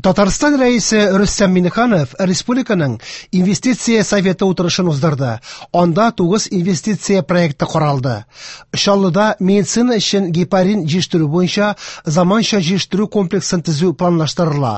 Татарстан Рәисе Рөстәм Миңнеханов республиканың Инвестиция советы утырышын уздырды. Анда 9 инвестиция проекты каралды. Чаллыда медицина өчен гепарин җитештерү буенча заманча җитештерү комплексын төзү планлаштырыла.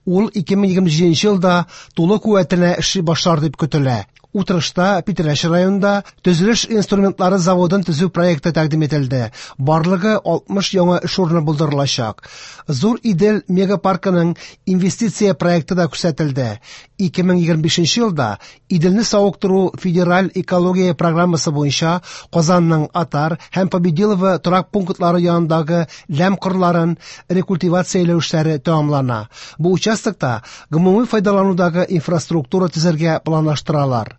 Ул 2027 елда тулы куәтенә эшли башлар дип көтелә. Утырышта Питрәч районында төзелеш инструментлары заводын төзү проекты тәкъдим ителде. Барлыгы 60 яңа эш урыны булдырылачак. Зур Идел мегапаркының инвестиция проекты да күрсәтелде. 2025 елда Иделне савыктыру федераль экология программасы буенча Казанның Атар һәм Победилово торак пунктлары янындагы ләм кырларын рекультивацияләү эшләре тәмамлана. Бу участокта гомуми файдаланудагы инфраструктура төзергә планлаштыралар.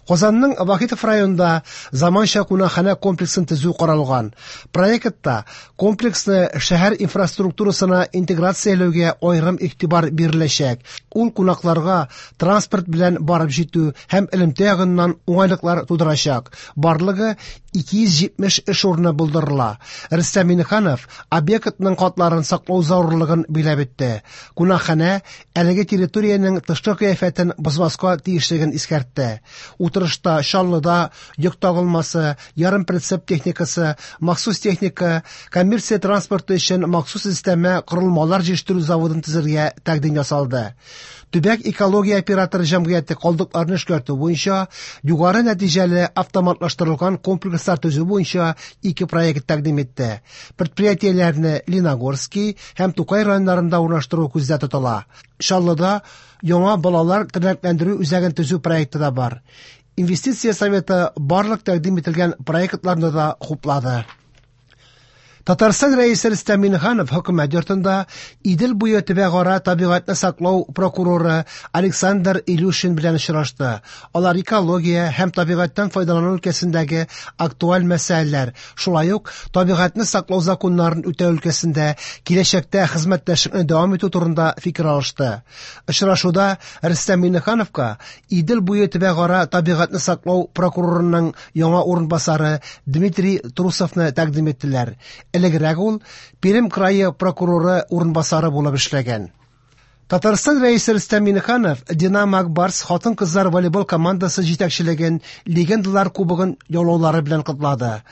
Казанның Вахитов районында заманча кунакханә комплексын төзү каралган. Проектта комплексны шәһәр инфраструктурасына интеграцияләүгә аерым игътибар биреләчәк. Ул кунакларга транспорт белән барып җитү һәм элемтә ягыннан уңайлыклар тудырачак. Барлыгы 270 эш урыны булдырыла. Рөстәм Миңнеханов объектның катларын саклау зарурлыгын биләп үтте. Кунакханә әлеге территориянең тышкы кыяфәтен бозмаска тиешлеген искәртте. Утырышта Чаллыда йөк тагылмасы, ярымприцеп техникасы, махсус техника, коммерция транспорты өчен махсус өстәмә корылмалар җитештерү заводын төзергә тәкъдим ясалды. Төбәк экология операторы җәмгыяте калдыкларны эшкәртү буенча югары нәтиҗәле автоматлаштырылган комплекслар төзү буенча ике проект тәкъдим итте. Предприятиеләрне Леногорский һәм Тукай районнарында урнаштыру күздә тотыла. Чаллыда яңа балалар тернәкләндерү үзәген төзү проекты да бар. Инвестиция советы барлык тәкъдим ителгән проектларны да хуплады. Татарстан Рәисе Рөстәм Миңнеханов хөкүмәт йортында Идел буе төбәкара табигатьне саклау прокуроры Александр Илюшин белән очрашты. Алар экология һәм табигатьтән файдалану өлкәсендәге актуаль мәсьәләләр, шулай ук табигатьне саклау законнарын үтәү өлкәсендә киләчәктә хезмәттәшлекне дәвам итү турында фикер алышты. Очрашуда Рөстәм Миңнехановка Идел буе төбәкара табигатьне саклау прокурорының яңа урынбасары Дмитрий Трусовны тәкъдим иттеләр. Элегрәк ул Пермь крае прокуроры урынбасары булып эшләгән. Татарстан Рәисе Рөстәм Миңнеханов Динамо Ак Барс хатын-кызлар волейбол командасы җитәкчелеген Легендалар кубогын яулаулары белән котлады.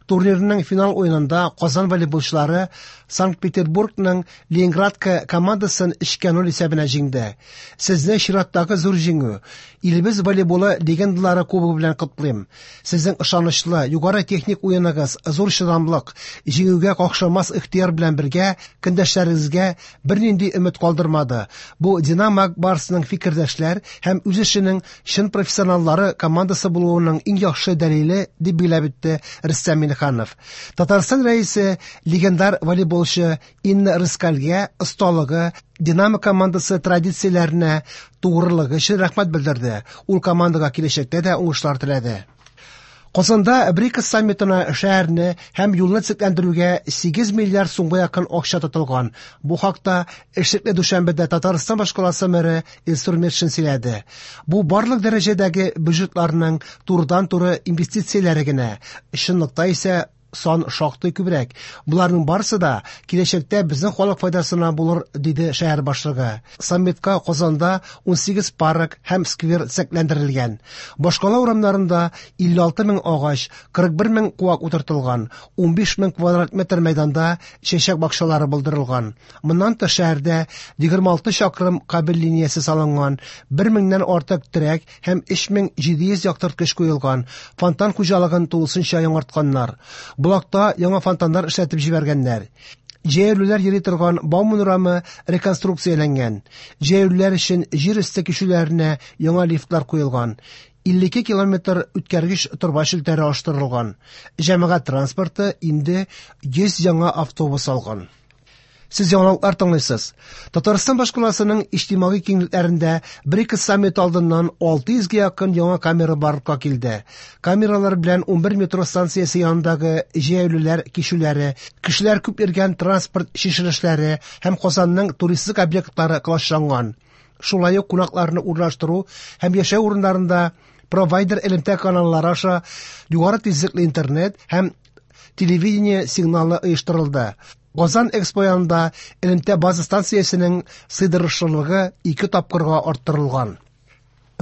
Турнирның финал уенында Казан волейболчылары Санкт-Петербургның Ленинградка командасын 3-0 исәбенә җиңде. Сезне чираттагы зур җиңү, илебез волейболы легендалары кубогы белән котлыйм. Сезнең ышанычлы, югары техник уеныгыз, зур чыдамлык, җиңүгә какшамас ихтыяр белән бергә көндәшләрегезгә бернинди өмет калдырмады. Бу Динамо Ак Барсның фикердәшләр һәм үз эшенең чын профессионаллары командасы булуының иң яхшы дәлиле, дип билгеләп үтте Рөстәм Миңнеханов. Татарстан Рәисе легендар волейболчы Инна Рыскальгә осталыгы, Динамо командасы традицияләренә тугрылыгы өчен рәхмәт белдерде. Ул командага киләчәктә дә уңышлар теләде. Казанда БРИКС саммитына шәһәрне һәм юлны төзекләндерүгә 8 миллиард сумга якын акча тотылган. Бу хакта эшлекле дүшәмбедә Татарстан башкаласы мэры Илсур Метшин сөйләде. Бу барлык дәрәҗәдәге бюджетларның турыдан-туры инвестицияләре генә. Чынлыкта исә сан шактый күбрәк. Боларның барысы да киләчәктә безнең халык файдасына булыр, диде шәһәр башлыгы. Саммитка Казанда 18 парк һәм сквер төзекләндерелгән. Башкала урамнарында 56 мең агач, 41 мең куак утыртылган, 15 мең квадрат метр мәйданда чәчәк бакчалары булдырылган. Моннан тыш шәһәрдә 26 чакрым кабель линиясе салынган, 1 меңнән артык терәк һәм 3700 яктырткыч куелган, фонтан хуҗалыгын тулысынча яңартканнар. Болакта яңа фонтаннар эшләтеп җибәргәннәр. Җәяүлеләр йөри торган Бауман урамы реконструкцияләнгән. Җәяүлеләр өчен җир өсте кичүләренә яңа лифтлар куелган. 52 километр үткәргеч торба челтәре алыштырылган. Җәмәгать транспорты инде 100 яңа автобус алган. Сез яңалыклар тыңлыйсыз. Татарстан башкаласының иҗтимагый киңлекләрендә БРИКС саммиты алдыннан 600 гә якын яңа камера барлыкка килде. Камералар белән 11 метро станциясе янындагы җәяүлеләр кичүләре, кешеләр күп йөргән транспорт чишелешләре һәм Казанның туристик объектлары колачланган. Шулай ук кунакларны урнаштыру һәм яшәү урыннарында провайдер элемтә каналлары аша югары тизлекле интернет һәм телевидение сигналы оештырылды. Казан Экспо янында элемтә база станциясенең сыйдырышлылыгы 2 тапкырга арттырылган.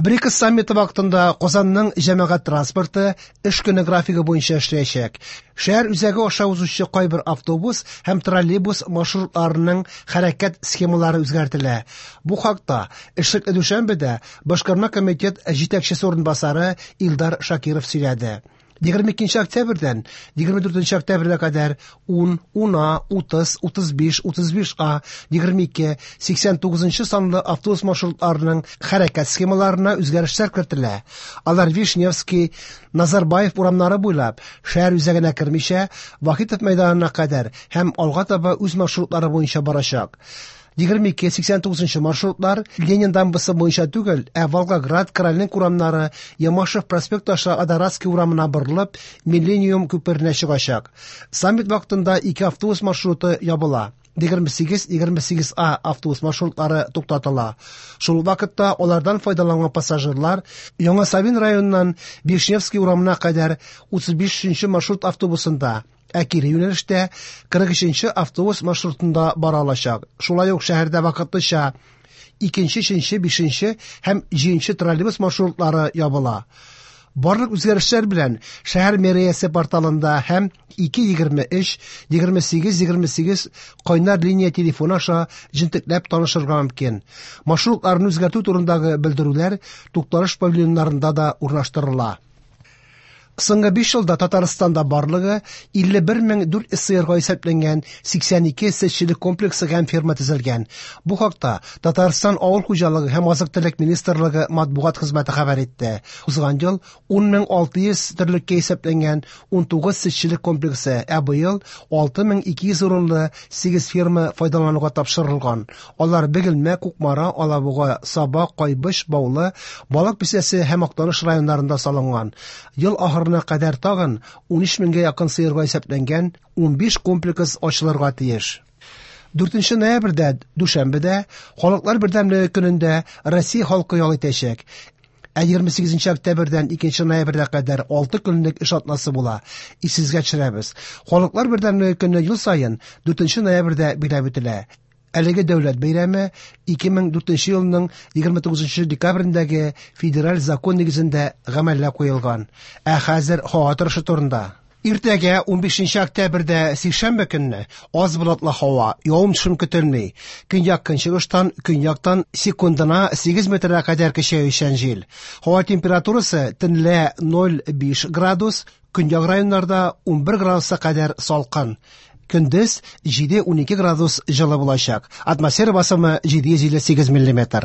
БРИКС саммиты вакытында Казанның җәмәгать транспорты эш көне графигы буенча эшләячәк. Шәһәр үзәге аша узучы кайбер автобус һәм троллейбус маршрутларының хәрәкәт схемалары үзгәртелә. Бу хакта эшлекле дүшәмбедә Башкарма комитет җитәкчесе урынбасары Илдар Шакиров сөйләде. 22 октябрьдән 24 октябрьгә кадәр 10, 10А, 30, 35, 35А, 22, 89 санлы автобус маршрутларының хәрәкәт схемаларына үзгәрешләр кертелә. Алар Вишневский, Назарбаев урамнары буйлап шәһәр үзәгенә кермичә, Вахитов мәйданына кадәр һәм алга таба үз маршрутлары буенча барачак. 22-89 маршрутлар Ленин дамбасы буенча түгел, ә Волгоград, Корольник урамнары, Ямашев проспект аша Адоратский урамына борылып, Миллениум күперенә чыгачак. Саммит вакытында ике автобус маршруты ябыла. 28-28А автобус маршрутлары туктатыла. Шул вакытта алардан файдаланган пассажирлар Яңа Савин районыннан Вишневский урамына кадәр 35 маршрут автобусында, ә кире юнәлештә 43 автобус маршрутында бара алачак. Шулай ук шәһәрдә вакытлыча 2, 3, 5 һәм 7 троллейбус маршрутлары ябыла. Барлык үзгәрешләр белән шәһәр мэриясе порталында һәм 2-23, 28-28 кайнар линия телефоны аша җентекләп танышырга мөмкин. Маршрутларны үзгәртү турындагы белдерүләр тукталыш павильоннарында да урнаштырыла. Соңгы 5 елда Татарстанда барлыгы 51400 сыерга исәпләнгән 82 сөтчелек комплексы һәм ферма төзелгән. Бу хакта Татарстан авыл хуҗалыгы һәм азык-төлек министрлыгы матбугат хезмәте хәбәр итте. Узган ел 10600 терлеккә исәпләнгән 19 сөтчелек комплексы, ә быел 6200 урынлы 8 ферма файдалануга тапшырылган. Алар Бөгелмә, Кукмара, Алабуга, Саба, Кайбыч, Баулы, Балык Бистәсе һәм Актаныш районнарында салынган. Ел ахырына кадәр тагын 13 меңгә якын сыерга исәпләнгән 15 комплекс ачылырга тиеш. 4 ноябрьдә, дүшәмбедә, Халыклар бердәмлеге көнендә Россия халкы ял итәчәк. Ә 28 октябрьдән 2 ноябрьгә кадәр 6 көнлек эш атнасы була. Исегезгә төшерәбез. Халыклар бердәмлеге көне ел саен 4 ноябрьдә билгеләп үтелә. Әлеге дәүләт бәйрәме 2004 елның 29 декабрендәге федераль закон нигезендә гамәлгә куелган. Ә хәзер һава торышы турында. Иртәгә 15 октябрьдә сишәмбе көнне аз болытлы һава, явым-төшем көтелми. Көньяк-көнчыгыштан, көньяктан секундына 8 метрга кадәр көчәючән җил. Һава температурасы төнлә 0,5 градус, көньяк районнарда 11 градуска кадәр салкын. Көндез 7-12 градус җылы булачак. Атмосфера басымы 758 миллиметр.